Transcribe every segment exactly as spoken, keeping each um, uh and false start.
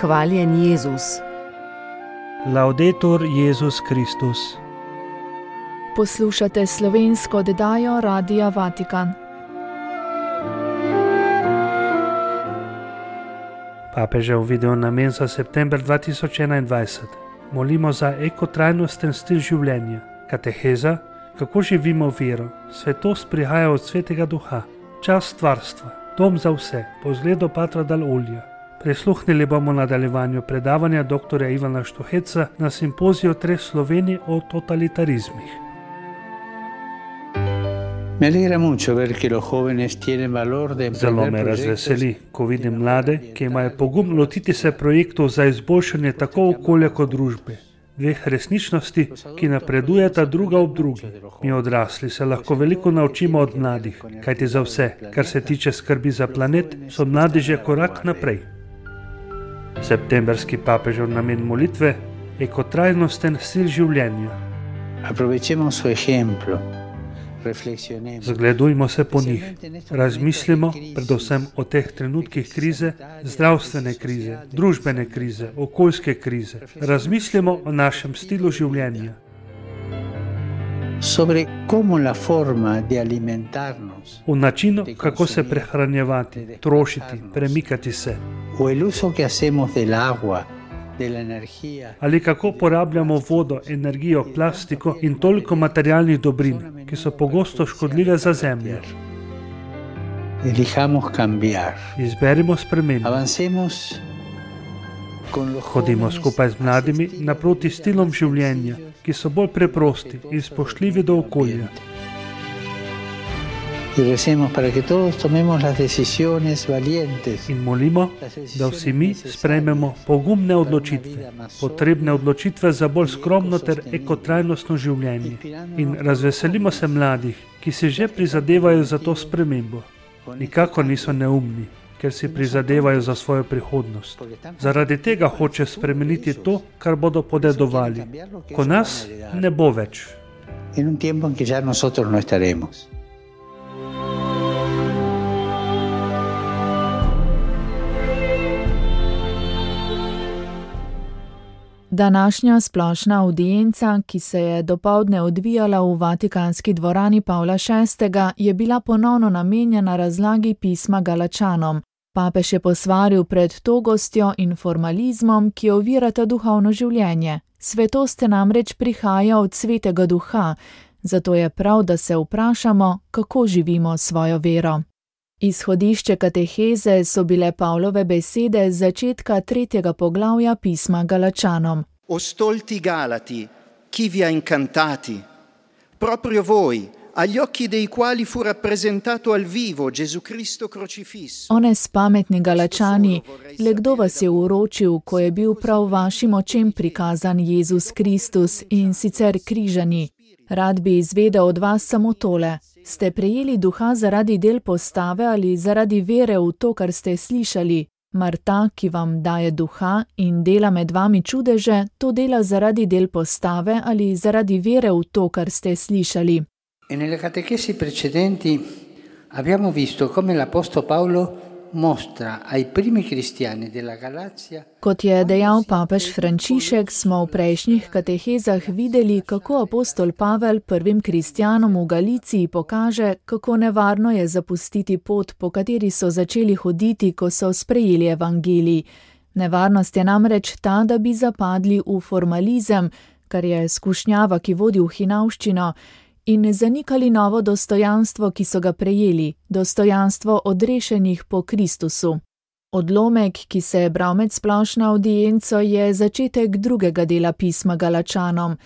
Hvaljen Jezus. Laudetur Jezus Kristus. Poslušate slovensko oddajo Radia Vatikan. Papežev video namen za september dva tisoč enaindvajset. Molimo za ekotrajnosten stil življenja. Kateheza, kako živimo vero. Svetost prihaja od Svetega Duha. Čas stvarstva, dom za vse, po zgledu Patra dal Olja. Prisluhnili bomo nadaljevanju predavanja doktorja Ivana Štuheca na simpoziju Treh Slovenij o totalitarizmih. Zelo me razveseli, ko vidim mlade, ki imajo pogum lotiti se projektov za izboljšanje tako okolja kot družbe. Dveh resničnosti, ki napredujeta druga ob drugi. Mi odrasli se lahko veliko naučimo od mladih, kajti za vse, kar se tiče skrbi za planet, so mladi že korak naprej. Septemberski papežev namen molitve, ekotrajnosten stil življenja. Zgledujmo se po njih, razmislimo predvsem o teh trenutkih krize, zdravstvene krize, družbene krize, okoljske krize. Razmislimo o našem stilu življenja. V načinu, kako se prehranjevati, trošiti, premikati se. Ali kako porabljamo vodo, energijo, plastiko in toliko materialnih dobrin, ki so pogosto škodljive za zemljo. Izberimo spremembo. Hodimo skupaj z mladimi naproti stilom življenja, ki so bolj preprosti in spoštljivi do okolja. In molimo, da vsi mi sprejmemo pogumne odločitve, potrebne odločitve za bolj skromno ter ekotrajnostno življenje. In razveselimo se mladih, ki si že prizadevajo za to spremembo. Nikakor niso neumni, ker si prizadevajo za svojo prihodnost. Zaradi tega hoče spremeniti to, kar bodo podedovali, ko nas ne bo več. Današnja splošna avdienca, ki se je dopoldne odvijala v Vatikanski dvorani Pavla šestega, je bila ponovno namenjena razlagi pisma Galačanom. Papež je posvaril pred togostjo in formalizmom, ki ovirata duhovno življenje. Svetost namreč prihaja od Svetega Duha, zato je prav, da se vprašamo, kako živimo svojo vero. Izhodišče kateheze so bile Pavlove besede z začetka tretjega poglavja pisma Galačanom. O stolti Galati, chi vi ha incantati, proprio voi, agli occhi dei quali fu rappresentato al vivo Gesù Cristo crocifisso. O nespametni Galačani, le kdo vas je uročil, ko je bil prav vašim očem prikazan Jezus Kristus in sicer križani? Rad bi izvedel od vas samo tole. Ste prejeli duha zaradi del postave ali zaradi vere v to, kar ste slišali? Mar ta, ki vam daje duha in dela med vami čudeže, to dela zaradi del postave ali zaradi vere v to, kar ste slišali? E nelle catechesi precedenti abbiamo visto come l'apostolo Paolo mostra ai primi cristiani della Galazia. Kot je dejal papež Frančišek, smo v prejšnjih katehezah videli, kako apostol Pavel prvim kristjanom v Galiciji pokaže, kako nevarno je zapustiti pot, po kateri so začeli hoditi, ko so sprejeli evangelij. Nevarnost je namreč ta, da bi zapadli v formalizem, kar je skušnjava, ki vodi v hinavščino, in zanikali novo dostojanstvo, ki so ga prejeli, dostojanstvo odrešenih po Kristusu. Odlomek, ki se je bral med splošno avdienco, je začetek drugega dela pisma Galačanom.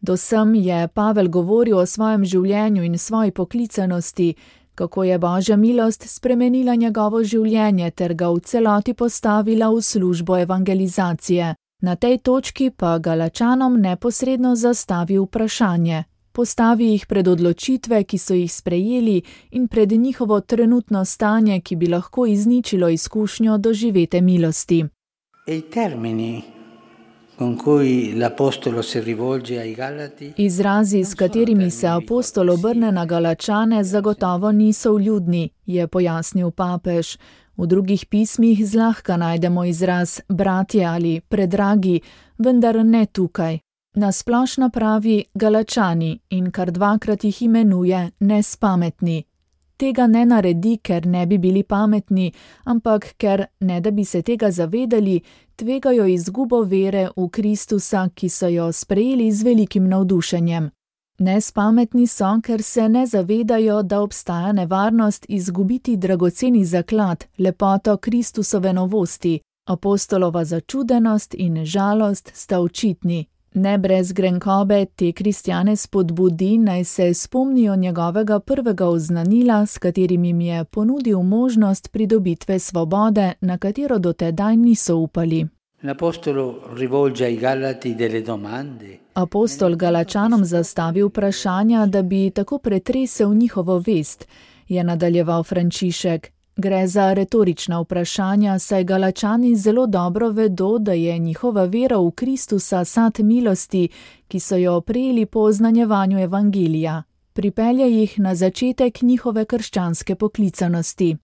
Dosem je Pavel govoril o svojem življenju in svoji poklicanosti, kako je Božja milost spremenila njegovo življenje ter ga v celoti postavila v službo evangelizacije. Na tej točki pa Galačanom neposredno zastavi vprašanje. Postavi jih pred odločitve, ki so jih sprejeli, in pred njihovo trenutno stanje, ki bi lahko izničilo izkušnjo doživete milosti. E i termini Izrazi, s katerimi se apostol obrne na Galačane, zagotovo niso vljudni, je pojasnil papež. V drugih pismih zlahka najdemo izraz bratje ali predragi, vendar ne tukaj. Na splošno pravi Galačani in kar dvakrat jih imenuje nespametni. Tega ne naredi, ker ne bi bili pametni, ampak ker, ne da bi se tega zavedali, tvegajo izgubo vere v Kristusa, ki so jo sprejeli z velikim navdušenjem. Nespametni so, ker se ne zavedajo, da obstaja nevarnost izgubiti dragoceni zaklad, lepoto Kristusove novosti. Apostolova začudenost in žalost sta očitni. Ne brez grenkobe te kristjane spodbudi, naj se spomnijo njegovega prvega oznanila, s katerim jim je ponudil možnost pridobitve svobode, na katero dotedaj niso upali. Apostol Galačanom zastavi vprašanja, da bi tako pretresel njihovo vest, je nadaljeval Frančišek. Gre za retorična vprašanja, saj Galačani zelo dobro vedo, da je njihova vera v Kristusa sad milosti, ki so jo prejeli po oznanjevanju evangelija. Pripelje jih na začetek njihove krščanske poklicanosti.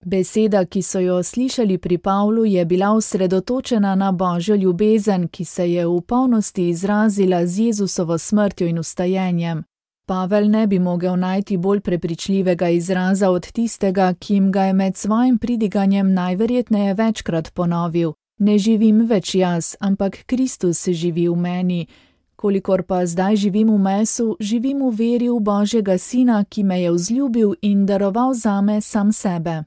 Beseda, ki so jo slišali pri Pavlu, je bila osredotočena na Božjo ljubezen, ki se je v polnosti izrazila z Jezusovo smrtjo in vstajenjem. Pavel ne bi mogel najti bolj prepričljivega izraza od tistega, ki jim ga je med svojim pridiganjem najverjetneje večkrat ponovil. Ne živim več jaz, ampak Kristus živi v meni. Kolikor pa zdaj živim v mesu, živim v veri v Božjega Sina, ki me je vzljubil in daroval zame sam sebe.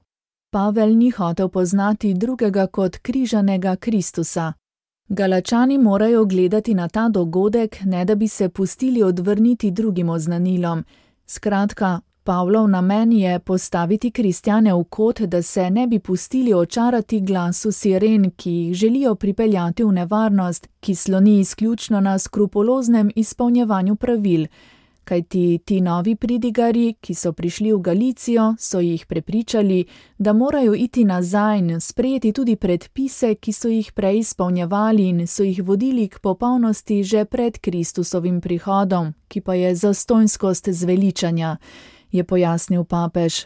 Pavel ni hotel poznati drugega kot križanega Kristusa. Galačani morajo gledati na ta dogodek, ne da bi se pustili odvrniti drugim oznanilom. Skratka, Pavlov namen je postaviti kristjane v kot, da se ne bi pustili očarati glasu siren, ki jih želijo pripeljati v nevarnost, ki sloni izključno na skrupuloznem izpolnjevanju pravil. Kajti ti novi pridigarji, ki so prišli v Galicijo, so jih prepričali, da morajo iti nazaj in sprejeti tudi predpise, ki so jih prej izpolnjevali in so jih vodili k popolnosti že pred Kristusovim prihodom, ki pa je zastonjskost zveličanja, je pojasnil papež.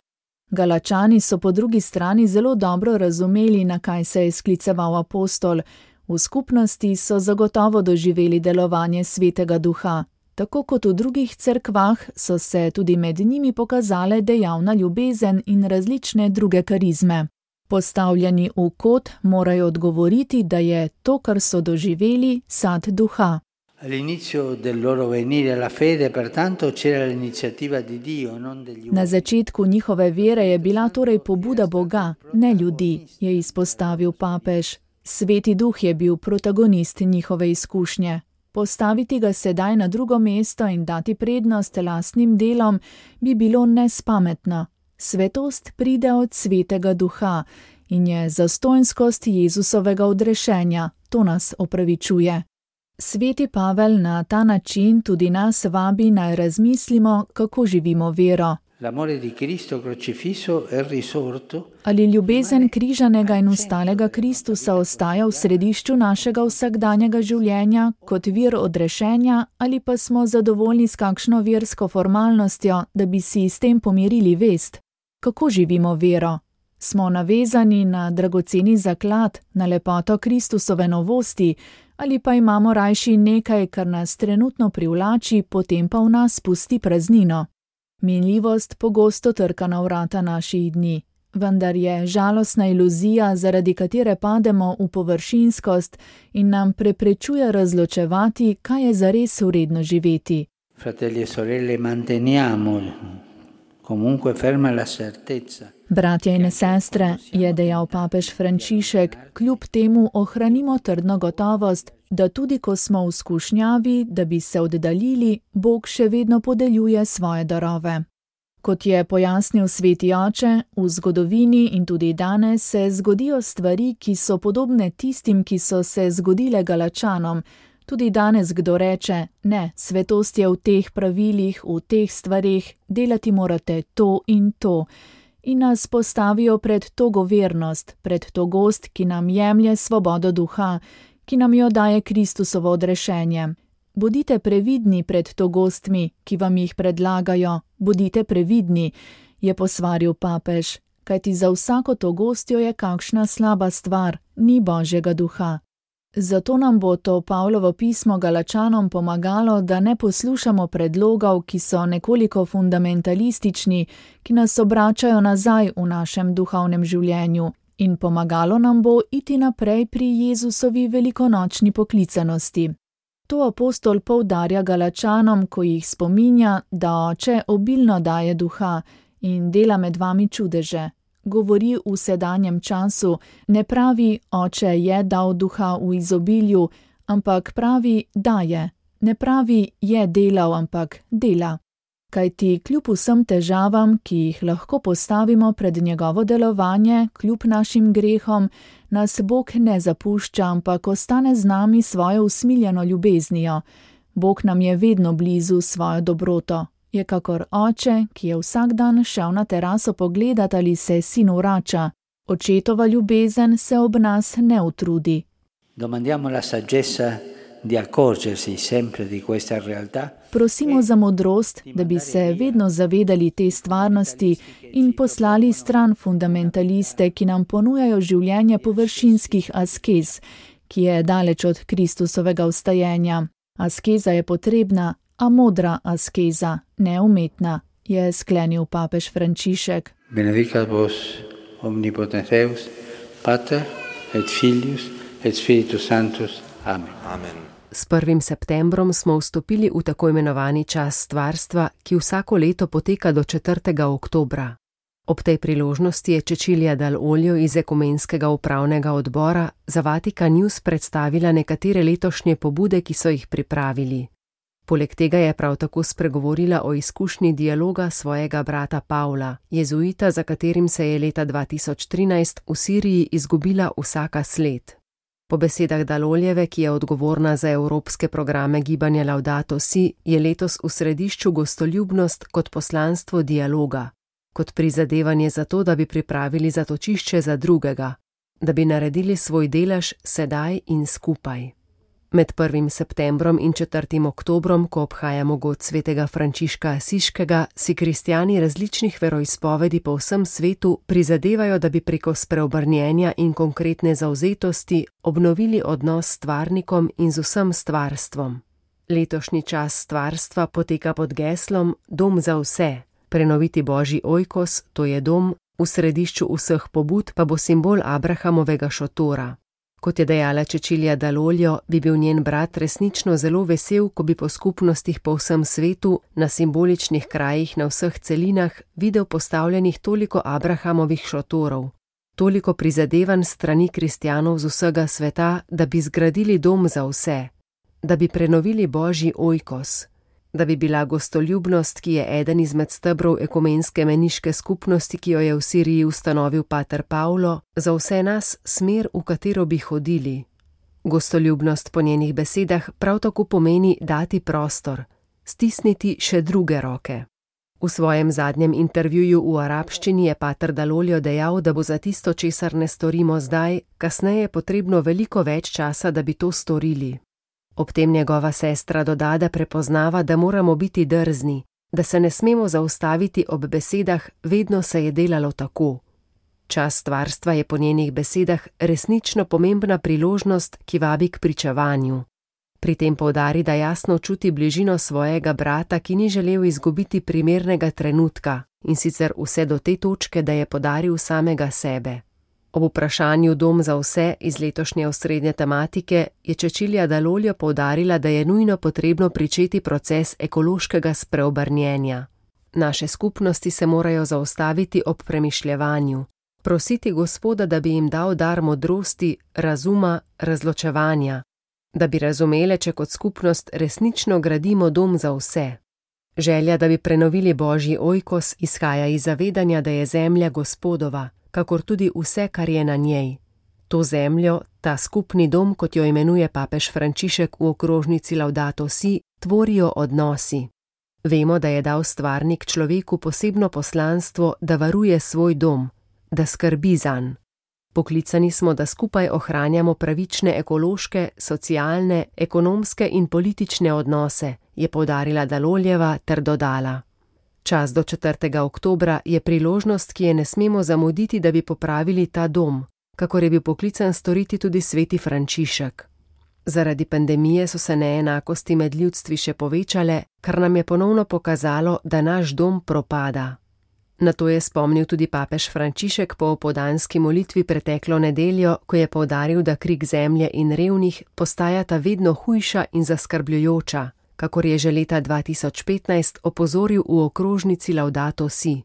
Galačani so po drugi strani zelo dobro razumeli, na kaj se je skliceval apostol. V skupnosti so zagotovo doživeli delovanje Svetega Duha. Tako kot v drugih cerkvah so se tudi med njimi pokazale dejavna ljubezen in različne druge karizme. Postavljeni v kot morajo odgovoriti, da je to, kar so doživeli, sad duha. Na začetku njihove vere je bila torej pobuda Boga, ne ljudi, je izpostavil papež. Sveti Duh je bil protagonist njihove izkušnje. Postaviti ga sedaj na drugo mesto in dati prednost lastnim delom bi bilo nespametno. Svetost pride od Svetega Duha in je zastonjskost Jezusovega odrešenja, to nas opravičuje. Sveti Pavel na ta način tudi nas vabi, naj razmislimo, kako živimo vero. Ali ljubezen križanega in ustalega Kristusa ostaja v središču našega vsakdanjega življenja kot vir odrešenja, ali pa smo zadovoljni s kakšno versko formalnostjo, da bi si s tem pomirili vest? Kako živimo vero? Smo navezani na dragoceni zaklad, na lepoto Kristusove novosti, ali pa imamo rajši nekaj, kar nas trenutno privlači, potem pa v nas pusti praznino? Minljivost pogosto trka na vrata naših dni, vendar je žalostna iluzija, zaradi katere pademo v površinskost in nam preprečuje razločevati, kaj je zares vredno živeti. Fratelli e sorelle, manteniamo comunque ferma la certezza. Bratje in sestre, je dejal papež Frančišek, kljub temu ohranimo trdno gotovost, da tudi ko smo v skušnjavi, da bi se oddaljili, Bog še vedno podeljuje svoje darove. Kot je pojasnil sveti oče, v zgodovini in tudi danes se zgodijo stvari, ki so podobne tistim, ki so se zgodile Galačanom. Tudi danes kdo reče, ne, svetost je v teh pravilih, v teh stvarih, delati morate to in to. In nas postavijo pred togo vernost, pred togost, ki nam jemlje svobodo duha, ki nam jo daje Kristusovo odrešenje. Bodite previdni pred togostmi, ki vam jih predlagajo, bodite previdni, je posvaril papež, kajti za vsako togostjo je kakšna slaba stvar, ni Božjega duha. Zato nam bo to Pavlovo pismo Galačanom pomagalo, da ne poslušamo predlogov, ki so nekoliko fundamentalistični, ki nas obračajo nazaj v našem duhovnem življenju, in pomagalo nam bo iti naprej pri Jezusovi velikonočni poklicanosti. To apostol poudarja Galačanom, ko jih spominja, da Oče obilno daje duha in dela med vami čudeže. Govori v sedanjem času, ne pravi, Oče je dal duha v izobilju, ampak pravi, daje. Ne pravi, je delal, ampak dela. Kajti kljub vsem težavam, ki jih lahko postavimo pred njegovo delovanje, kljub našim grehom, nas Bog ne zapušča, ampak ostane z nami svojo usmiljeno ljubeznijo. Bog nam je vedno blizu svojo dobroto. Je kakor oče, ki je vsak dan šel na teraso pogledat, ali se sin vrača. Očetova ljubezen se ob nas ne utrudi. Domandiamo la saggezza di accorgersi sempre di questa realtà. Prosimo za modrost, da bi se vedno zavedali te stvarnosti in poslali stran fundamentaliste, ki nam ponujajo življenje površinskih askez, ki je daleč od Kristusovega vstajenja. Askeza je potrebna, a modra askeza, ne umetna, je sklenil papež Frančišek. Benedicat vos omnipotens Deus, Pater et Filius et Spiritus Sanctus. Amen. Amen. S prvim septembrom smo vstopili v tako imenovani čas stvarstva, ki vsako leto poteka do četrtega oktobra. Ob tej priložnosti je Cecilia Dall'Olio iz Ekumenskega upravnega odbora za Vatikan News predstavila nekatere letošnje pobude, ki so jih pripravili. Poleg tega je prav tako spregovorila o izkušnji dialoga svojega brata Pavla, jezuita, za katerim se je leta dva tisoč trinajst v Siriji izgubila vsaka sled. Po besedah Dall'Olieve, ki je odgovorna za evropske programe gibanja Laudato Si, je letos v središču gostoljubnost kot poslanstvo dialoga, kot prizadevanje za to, da bi pripravili zatočišče za drugega, da bi naredili svoj delež sedaj in skupaj. Med prvim septembrom in četrtim oktobrom, ko obhajamo god svetega Frančiška Asiškega, si kristjani različnih veroizpovedi po vsem svetu prizadevajo, da bi preko spreobrnjenja in konkretne zavzetosti obnovili odnos s stvarnikom in z vsem stvarstvom. Letošnji čas stvarstva poteka pod geslom Dom za vse, prenoviti Božji ojkos, to je dom, v središču vseh pobud pa bo simbol Abrahamovega šotora. Kot je dejala Cecilia Dall'Olio, bi bil njen brat resnično zelo vesel, ko bi po skupnostih po vsem svetu, na simboličnih krajih na vseh celinah, videl postavljenih toliko Abrahamovih šotorov, toliko prizadevanj strani kristjanov z vsega sveta, da bi zgradili dom za vse, da bi prenovili Božji ojkos, da bi bila gostoljubnost, ki je eden izmed stebrov ekumenske meniške skupnosti, ki jo je v Siriji ustanovil pater Pavlo, za vse nas smer, v katero bi hodili. Gostoljubnost po njenih besedah prav tako pomeni dati prostor, stisniti še druge roke. V svojem zadnjem intervjuju v arabščini je pater Dall'Olio dejal, da bo za tisto, česar ne storimo zdaj, kasneje potrebno veliko več časa, da bi to storili. Ob tem njegova sestra doda, da prepoznava, da moramo biti drzni, da se ne smemo zaustaviti ob besedah, vedno se je delalo tako. Čas stvarstva je po njenih besedah resnično pomembna priložnost, ki vabi k pričevanju. Pri tem poudari, da jasno čuti bližino svojega brata, ki ni želel izgubiti primernega trenutka, in sicer vse do te točke, da je podaril samega sebe. Ob vprašanju Dom za vse iz letošnje osrednje tematike je Cecilia Dall'Olio poudarila, da je nujno potrebno pričeti proces ekološkega spreobrnjenja. Naše skupnosti se morajo zaustaviti ob premišljevanju, prositi Gospoda, da bi jim dal dar modrosti, razuma, razločevanja, da bi razumele, če kot skupnost resnično gradimo dom za vse. Želja, da bi prenovili Božji ojkos, izhaja iz zavedanja, da je zemlja Gospodova, kakor tudi vse, kar je na njej. To zemljo, ta skupni dom, kot jo imenuje papež Frančišek v okrožnici Laudato Si, tvorijo odnosi. Vemo, da je dal stvarnik človeku posebno poslanstvo, da varuje svoj dom, da skrbi zanj. Poklicani smo, da skupaj ohranjamo pravične ekološke, socialne, ekonomske in politične odnose, je poudarila Daloljeva ter dodala. Čas do četrtega oktobra je priložnost, ki je ne smemo zamuditi, da bi popravili ta dom, kakor je bil poklican storiti tudi sveti Frančišek. Zaradi pandemije so se neenakosti med ljudstvi še povečale, kar nam je ponovno pokazalo, da naš dom propada. Na to je spomnil tudi papež Frančišek po opoldanski molitvi preteklo nedeljo, ko je poudaril, da krik zemlje in revnih postajata vedno hujša in zaskrbljujoča, kakor je že leta dva tisoč petnajst opozoril v okrožnici Laudato Si.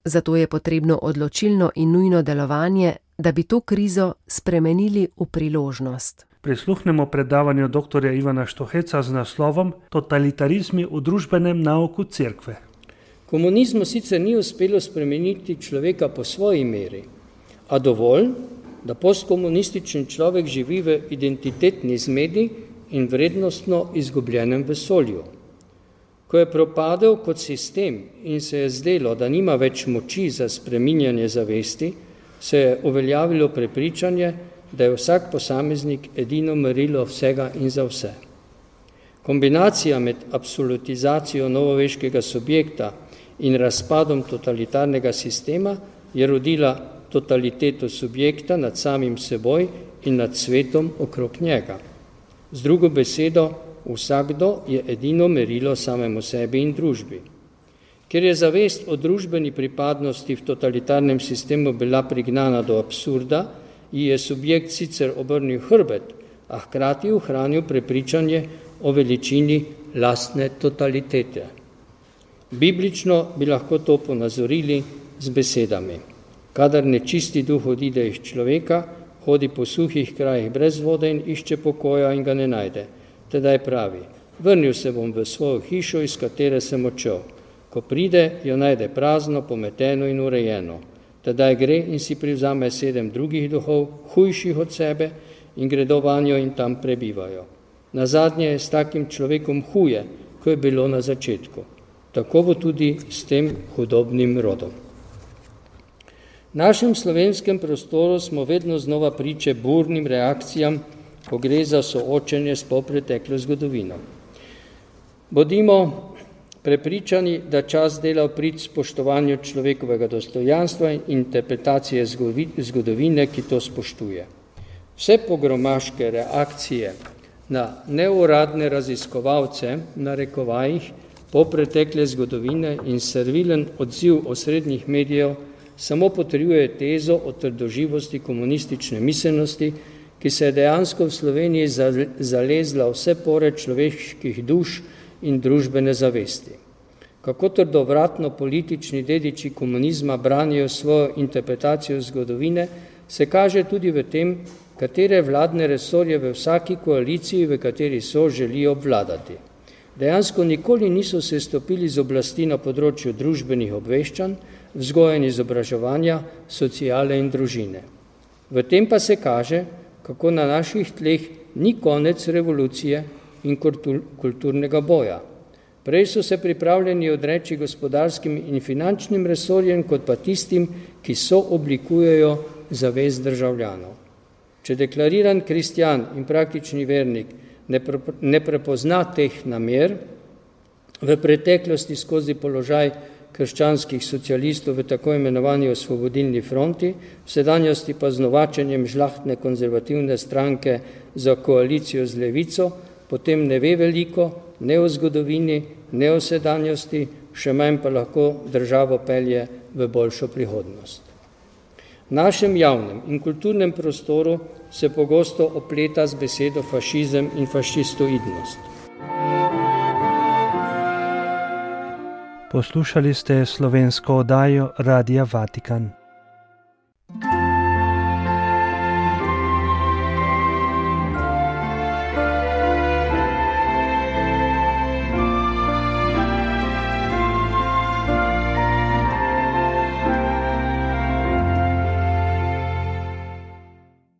Zato je potrebno odločilno in nujno delovanje, da bi to krizo spremenili v priložnost. Prisluhnemo predavanju doktorja Ivana Štoheca z naslovom Totalitarizmi v družbenem nauku cerkve. Komunizmu sicer ni uspelo spremeniti človeka po svoji meri, a dovolj, da postkomunističen človek živi v identitetni zmedi in vrednostno izgubljenem vesolju. Ko je propadel kot sistem in se je zdelo, da nima več moči za spreminjanje zavesti, se je uveljavilo prepričanje, da je vsak posameznik edino merilo vsega in za vse. Kombinacija med absolutizacijo novoveškega subjekta in razpadom totalitarnega sistema je rodila totaliteto subjekta nad samim seboj in nad svetom okrog njega. Z drugo besedo, vsakdo je edino merilo samemu sebi in družbi. Ker je zavest o družbeni pripadnosti v totalitarnem sistemu bila prignana do absurda, ji je subjekt sicer obrnil hrbet, a hkrati ohranil prepričanje o veličini lastne totalitete. Biblično bi lahko to ponazorili z besedami. Kadar nečisti duh odide iz človeka, hodi po suhih krajih brez vode in išče pokoja in ga ne najde. Tedaj pravi, vrnil se bom v svojo hišo, iz katere sem odšel. Ko pride, jo najde prazno, pometeno in urejeno. Tedaj gre in si privzame sedem drugih duhov, hujših od sebe, in gredo vanjo in tam prebivajo. Nazadnje je s takim človekom huje, ko je bilo na začetku. Tako bo tudi s tem hudobnim rodom. V našem slovenskem prostoru smo vedno znova priče burnim reakcijam, ko gre za soočenje s polpreteklo zgodovino. Bodimo prepričani, da čas dela v prid spoštovanju človekovega dostojanstva in interpretacije zgodovine, ki to spoštuje. Vse pogromaške reakcije na neuradne raziskovalce, na rekovajih, polpretekle zgodovine in servilen odziv osrednjih medijev samo potrjuje tezo o trdoživosti komunistične miselnosti, ki se je dejansko v Sloveniji zalezla vse pore človeških duš in družbene zavesti. Kako trdovratno politični dediči komunizma branijo svojo interpretacijo zgodovine, se kaže tudi v tem, katere vladne resorje v vsaki koaliciji, v kateri so, želijo obvladati. Dejansko nikoli niso se stopili z oblasti na področju družbenih obveščanj, vzgoje in izobraževanja, sociale in družine. V tem pa se kaže, kako na naših tleh ni konec revolucije in kulturnega boja. Prej so se pripravljeni odreči gospodarskim in finančnim resorjem, kot pa tistim, ki so oblikujejo zavest državljanov. Če deklariran kristjan in praktični vernik ne, pre, ne prepozna teh namer, v preteklosti skozi položaj krščanskih socialistov v tako imenovani osvobodilni fronti, v sedanjosti pa z novačenjem žlahtne konzervativne stranke za koalicijo z levico, potem ne ve veliko, ne o zgodovini, ne o sedanjosti, še manj pa lahko državo pelje v boljšo prihodnost. V našem javnem in kulturnem prostoru se pogosto opleta z besedo fašizem in fašistoidnost. Poslušali ste slovensko oddajo Radia Vatikan.